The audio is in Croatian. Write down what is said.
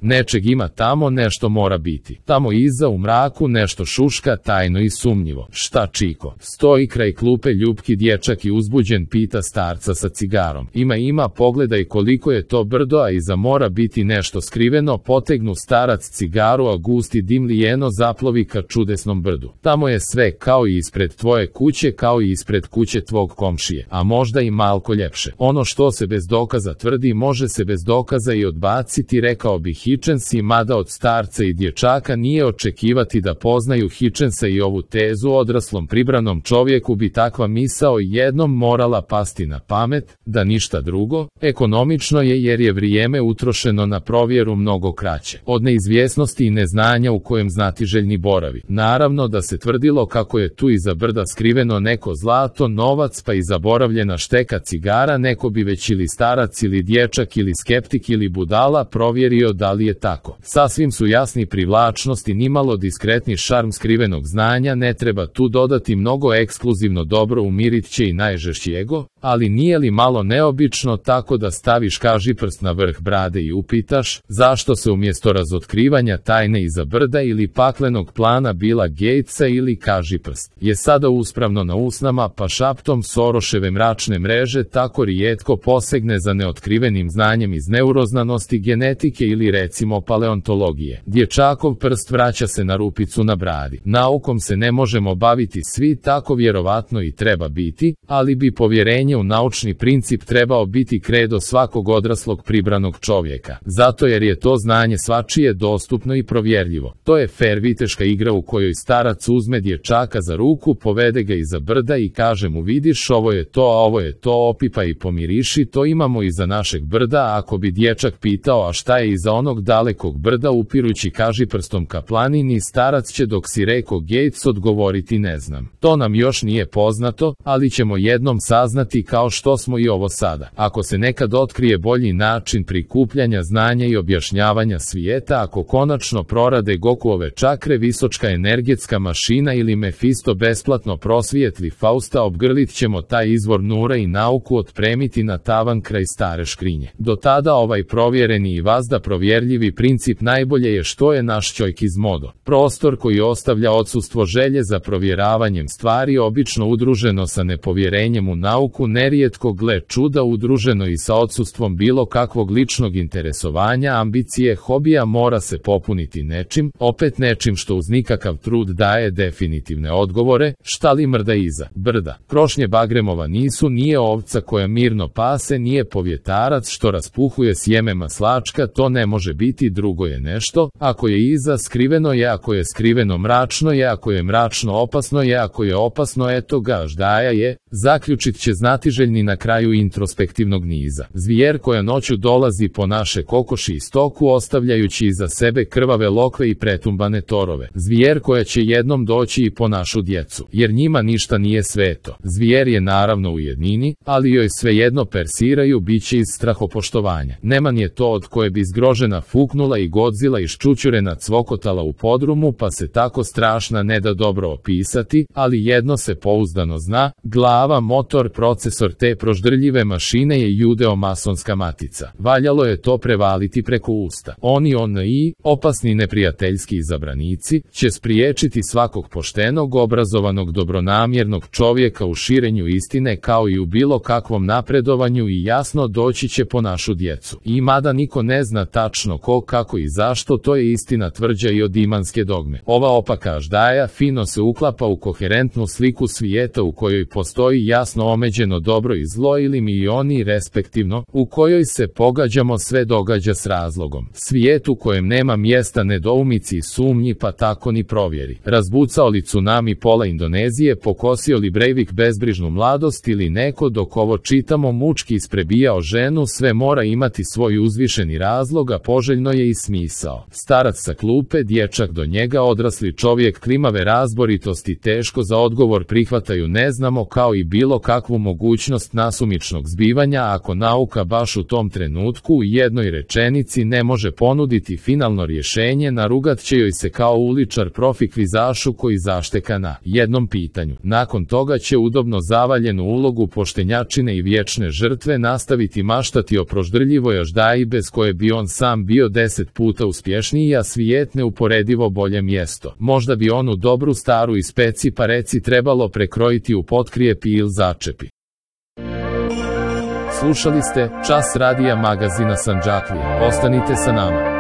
Nečeg ima tamo, nešto mora biti. Tamo iza u mraku nešto šuška tajno i sumnjivo. Šta čiko? Stoji kraj klupe ljubki dječak i uzbuđen pita starca sa cigarom. Ima, pogledaj koliko je to brdo, a iza mora biti nešto skriveno. Potegnu starac cigaru, a gusti dim lijeno zaplovi ka čudesnom brdu. Tamo je sve kao i ispred tvoje kuće, kao i ispred kuće tvog komšije, a možda i malko ljepše. Ono što se bez dokaza tvrdi, može se bez dokaza i odbaciti, rekao bi Hitchens, mada od starca i dječaka nije očekivati da poznaju Hitchensa i ovu tezu. Odraslom pribranom čovjeku bi takva misao jednom morala pasti na pamet, da ništa drugo. Ekonomično je jer je vrijeme utrošeno na provjeru mnogo kraće od neizvjesnosti i neznanja u kojem znatiželjni boravi. Naravno da se tvrdilo kako je tu iza brda skriveno neko zlato, novac, pa i zaboravljena šteka cigara, neko bi već ili starac ili dječak ili skeptik ili budala provjerio da li je tako. Sasvim su jasni privlačnost i nimalo diskretni šarm skrivenog znanja, ne treba tu dodati mnogo, ekskluzivno dobro umirit će i najžešći ego, ali nije li malo neobično tako da staviš kažiprst na vrh brade i upitaš, zašto se umjesto razotkrivanja tajne iza brda ili paklenog plana Billa Gatesa ili kažiprst je sada uspravno na usnama, pa šaptom Soroševe mračne mreže tako rijetko posegne za neotkrivenim znanjem iz neuroznanosti, genetike ili recimo paleontologije. Dječakov prst vraća se na rupicu na bradi. Naukom se ne možemo baviti svi, tako vjerovatno i treba biti, ali bi povjerenje u naučni princip trebao biti kredo svakog odraslog pribranog čovjeka. Zato jer je to znanje svačije dostupno i provjerljivo. To je fer viteška igra u kojoj starac uzme dječaka za ruku, povede ga iza brda i kaže mu, vidiš, ovo je to, a ovo je to, opipa i pomiriši, to imamo iza našeg brda. A ako bi dječak pitao, a šta je iza onog dalekog brda, upirući kažiprstom ka planini, starac će, dok si reko Gates, odgovoriti ne znam. To nam još nije poznato, ali ćemo jednom saznati, kao što smo i ovo sada. Ako se nekad otkrije bolji način prikupljanja znanja i objašnjavanja svijeta, ako konačno prorade Gokuove čakre, visočka energetska mašina ili Mefisto besplatno prosvijetli Fausta, obgrlit ćemo taj izvor nura i nauku otpremiti na tavan kraj stare škrinje. Do tada ovaj provjereni i vazda provjerljivi princip najbolje je što je naš čovjek iz modo. Prostor koji ostavlja odsustvo želje za provjeravanjem stvari, obično udruženo sa nepovjerenjem u nauku, nerijetko, gle čuda, udruženo i sa odsustvom bilo kakvog ličnog interesovanja, ambicije, hobija, mora se popuniti nečim, opet nečim što uz nikakav trud daje definitivne odgovore. Šta li mrda iza brda? Krošnje Bagremova nisu, nije ovca koja mirno pase, nije povjetarac što raspuhuje sjeme maslačka, to ne može biti, drugo je nešto. Ako je iza, skriveno je, ako je skriveno, mračno je, ako je mračno, opasno je, ako je opasno, eto ga, ždaja je, zaključit će znatiželjni na kraju introspektivnog niza. Zvijer koja noću dolazi po naše kokoši i stoku, ostavljajući iza sebe krvave lokve i pretumbane torove. Zvijer koja će jednom doći i po našu djecu, jer njima ništa nije sveto. Zvijer je naravno u jednini, ali joj svejedno persiraju biće iz strahopoštovanja. Neman je to od koje bi zgrožena fuknula i Godzilla iščučurena cvokotala u podrumu, pa se tako strašna ne da dobro opisati, ali jedno se pouzdano zna, glava, motor, procesor te proždrljive mašine je judeo-masonska matica. Valjalo je to prevaliti preko usta. Oni opasni neprijateljski izabranici, će spriječiti svakog poštenog, obrazovanog, dobronamjernog čovjeka u širenju istine kao i u bilo kakvom napredovanju i jasno doći će po našu djecu. I mada niko ne zna tačno ko, kako i zašto, to je istina tvrđa i od imanske dogme. Ova opaka ždaja fino se uklapa u koherentnu sliku svijeta u kojoj postoji jasno omeđeno dobro i zlo ili mi i oni respektivno, u kojoj se pogađamo, sve događa s razlogom. Svijet u kojem nema mjesta nedoumici i sumnji, pa tako ni provjeri. Razbucao li tsunami pola Indonezije, pokosio li Breivik bezbrižnu mladost ili neko, dok ovo čitamo, mučki isprebijao ženu, sve mora imati svoj uzvišeni razlog, a poželjno je i smisao. Starac sa klupe, dječak do njega, odrasli čovjek klimave razboritosti teško za odgovor prihvataju ne znamo, kao i bilo kakvu mogućnost nasumičnog zbivanja, ako nauka baš u tom trenutku u jednoj rečenici ne može ponuditi finalno rješenje, narugat će joj se kao uličar profi kvizašu koji zašteka na jednom pitanju. Nakon toga će udobno zavaljenu ulogu poštenjačine i vječne žrtve nastaviti maštati o proždrljivoj aždaji bez koje bi on sam bio bio 10 puta uspješniji, a svijet neuporedivo bolje mjesto. Možda bi onu dobru staru ispeci pa reci trebalo prekrojiti u potkrijepi ili začepi. Slušali ste Čas radija magazina Sandžaklija. Ostanite sa nama.